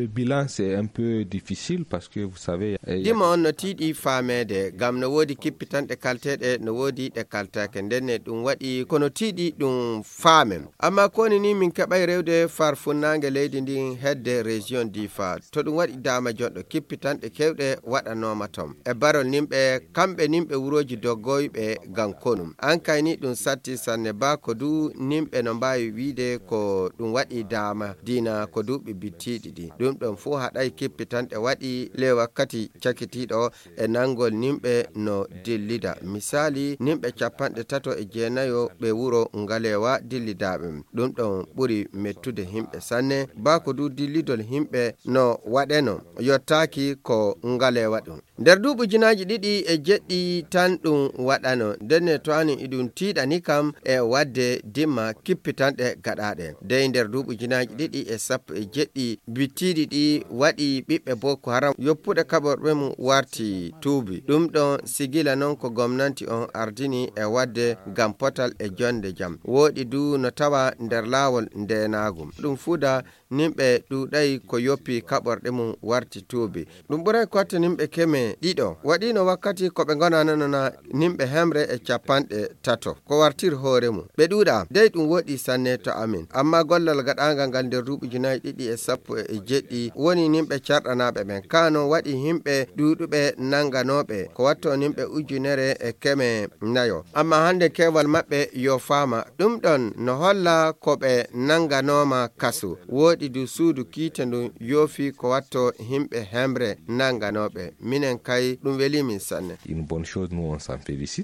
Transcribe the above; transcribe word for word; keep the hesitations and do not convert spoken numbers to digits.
Le bilan, c'est un peu difficile parce que vous savez, eh, dima on no tiiɗi faameede, ngam no woodi kippitanɗe kalteeɗe, no woodi ɗe kaltaake. Ndenne ɗum waɗi ko no tiiɗi ɗum faamen. Amma ko woni ni, min keɓay rewde far funnaange leydi ndin hedde région Difa. To ɗum waɗi daama jonɗo, kippitanɗe kewɗe waɗanooma ton. E barol nimɓe, kamɓe nimɓe wurooji doggoyɓe ngam konu. An kay ni ɗum satti sanne, baa ko du nimɓe no mbaawi wiide ko ɗum waɗi daama diina ko duuɓi bittiiɗi ɗi. Ɗum ɗon fuu haɗay kippitanɗe waɗi le wakkati cakitiiɗo e nangol nimɓe no dillida. Misaali, nimɓe capanɗe tato e jeenayo ɓe wuro Ngalewa dillidaaɓe. Ɗum ɗon ɓuri mettude himɓe sanne, baa ko du dillidol himɓe no waɗeno yottaaki ko Ngalewa ɗum. Nder duuɓi ujunaaji ɗiɗi e jeɗɗi tan ɗum waɗano, ndenne to anin iɗum tiiɗani kam e waɗde dimma kippitanɗe gaɗaaɗe. Dey nder duuɓi ujunaaji ɗiɗi e sappo e jeɗɗi bittiiɗi ɗi waɗi ɓiɓɓe Boko Haram yoppuɗe kaɓorɗe mum warti tuubi. Ɗum ɗon sigila non ko gomnanti on ardini e waɗde ngam potal e jonde jam. Wooɗi du no tawa nder laawol ndeenaagu. Ɗum fuuda nimɓe ɗuuɗay ko yoppi kaɓorɗe mum warti tuubi. Ɗum ɓuray ko watta nimɓe keme ɗiɗo. Waɗiino wakkati ko ɓe ngonananona nimɓe hemre e capanɗe tato. Ko wartir hoore mum. Ɓe ɗuuɗa. Dey ɗum woɗi sanne to amin. Amma gollal gaɗaangal ngal nder duuɓi ujunaaji ɗiɗi e sappo e jeɗɗi woni nimɓe carɗanaaɓe ɓen. Kaa non waɗi himɓe ɗuuɗuɓe nanganooɓe. Ko watto nimɓe ujunere e keme nayo. Amma hannde keewal maɓɓe yo faama. Ɗum ɗon no holla ko ɓe nanganooma kasu. Wooɗi du suudu kiite ndun yoofi ko watto himɓe hemre nanganooɓe. Minen kay ɗum welii min sanne. Une bonne chose, nous on s'en félicite.